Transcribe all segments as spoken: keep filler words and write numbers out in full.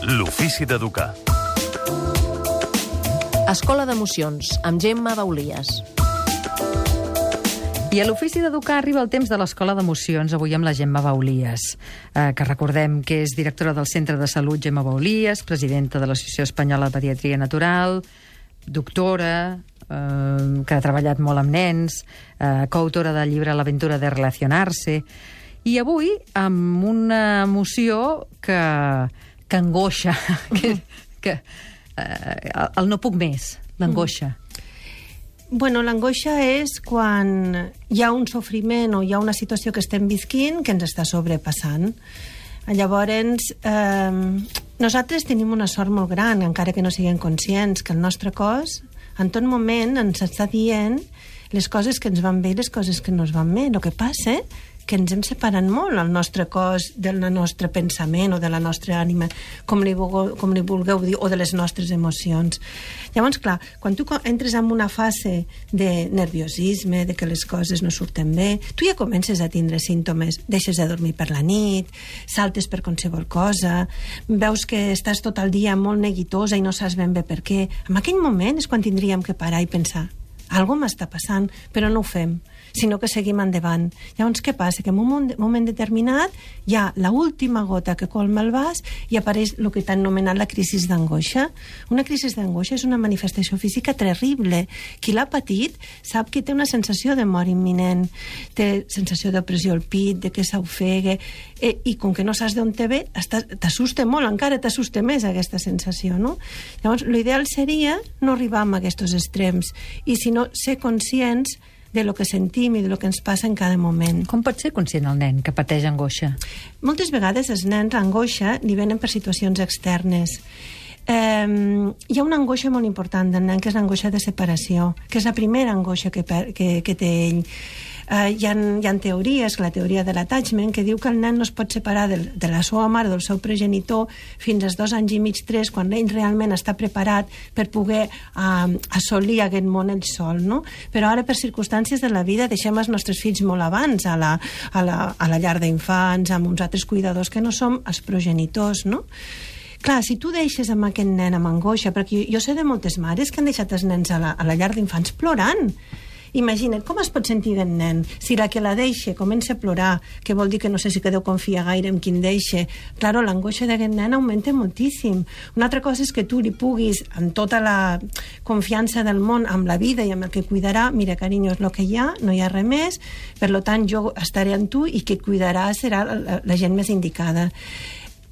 L'ofici d'educar. Escola d'Emocions, amb Gemma Baulies. I a l'Ofici d'Educar arriba el temps de l'Escola d'Emocions, avui amb la Gemma Baulies, eh, que recordem que és directora del Centre de Salut Gemma Baulies, presidenta de l'Associació Espanyola de Pediatria Natural, doctora, eh, que ha treballat molt amb nens, eh, coautora del llibre L'aventura de relacionar-se, i avui amb una emoció que, que angoixa, que, que eh, el no puc més, l'angoixa. Bueno, l'angoixa és quan hi ha un sofriment o hi ha una situació que estem visquint que ens està sobrepassant. Llavors, eh, nosaltres tenim una sort molt gran, encara que no siguem conscients, que el nostre cos en tot moment ens està dient les coses que ens van bé i les coses que no ens van bé. El que passa que ens hem separat molt el nostre cos del nostre pensament o de la nostra ànima, com li, vulgueu, com li vulgueu dir, o de les nostres emocions. Llavors, clar, quan tu entres en una fase de nerviosisme, de que les coses no surten bé, tu ja comences a tindre símptomes. Deixes de dormir per la nit, saltes per qualsevol cosa, veus que estàs tot el dia molt neguitosa i no saps ben bé per què. En aquell moment és quan tindríem que parar i pensar algo m'està passant, però no ho fem, sinó que seguim endavant. Llavors, què passa? Que en un moment determinat hi ha l'última gota que colma el vas i apareix el que t'han anomenat la crisi d'angoixa. Una crisi d'angoixa és una manifestació física terrible. Qui l'ha patit sap que té una sensació de mort imminent, té sensació d'opressió al pit, de que s'ofega, eh, i com que no saps d'on te ve, t'assusta molt, encara t'assusta més aquesta sensació, no? Llavors, l'ideal seria no arribar a aquests extrems i, si no, ser conscients de lo que sentim i de lo que ens passa en cada moment. Com pot ser conscient el nen que pateix angoixa? Moltes vegades els nens l'angoixa li venen per situacions externes. Eh, hi ha una angoixa molt important del nen, que és l'angoixa de separació, que és la primera angoixa que, que, que té ell. Uh, hi, ha, hi ha teories, la teoria de l'attachment, que diu que el nen no es pot separar de, de la seva mare, del seu progenitor, fins als dos anys i mig, tres, quan ell realment està preparat per poder uh, assolir aquest món ell sol, no? Però ara, per circumstàncies de la vida, deixem els nostres fills molt abans a la, a la, a la llar d'infants, amb uns altres cuidadors que no som els progenitors, no? Clar, si tu deixes amb aquest nen amb angoixa, perquè jo, jo sé de moltes mares que han deixat els nens a la, a la llar d'infants plorant. Imagina't, com es pot sentir aquest nen si la que la deixa comença a plorar, que vol dir que no sé si que deu confiar gaire en quin deixa. Claro, l'angoixa d'aquest nen augmenta moltíssim. Una altra cosa és que tu li puguis, amb tota la confiança del món, amb la vida i amb el que cuidarà, mira, carinyo, és el que hi ha, no hi ha res més, per tant jo estaré amb tu i qui et cuidarà serà la, la gent més indicada.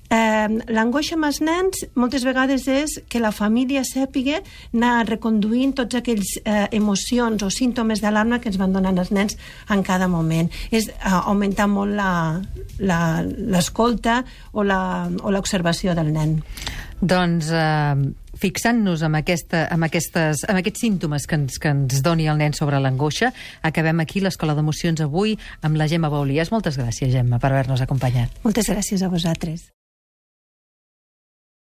Eh, l'angoixa amb els nens moltes vegades és que la família sàpiga anar reconduint tots aquells eh, emocions o símptomes d'alarma que ens van donant els nens en cada moment. És eh, augmentar molt l'escolta o l'observació del nen. Doncs eh, fixant-nos en, aquesta, en, aquestes, en aquests símptomes que ens, que ens doni el nen sobre l'angoixa, acabem aquí l'Escola d'Emocions avui amb la Gemma Baulies. Moltes gràcies, Gemma, per haver-nos acompanyat. Moltes gràcies a vosaltres.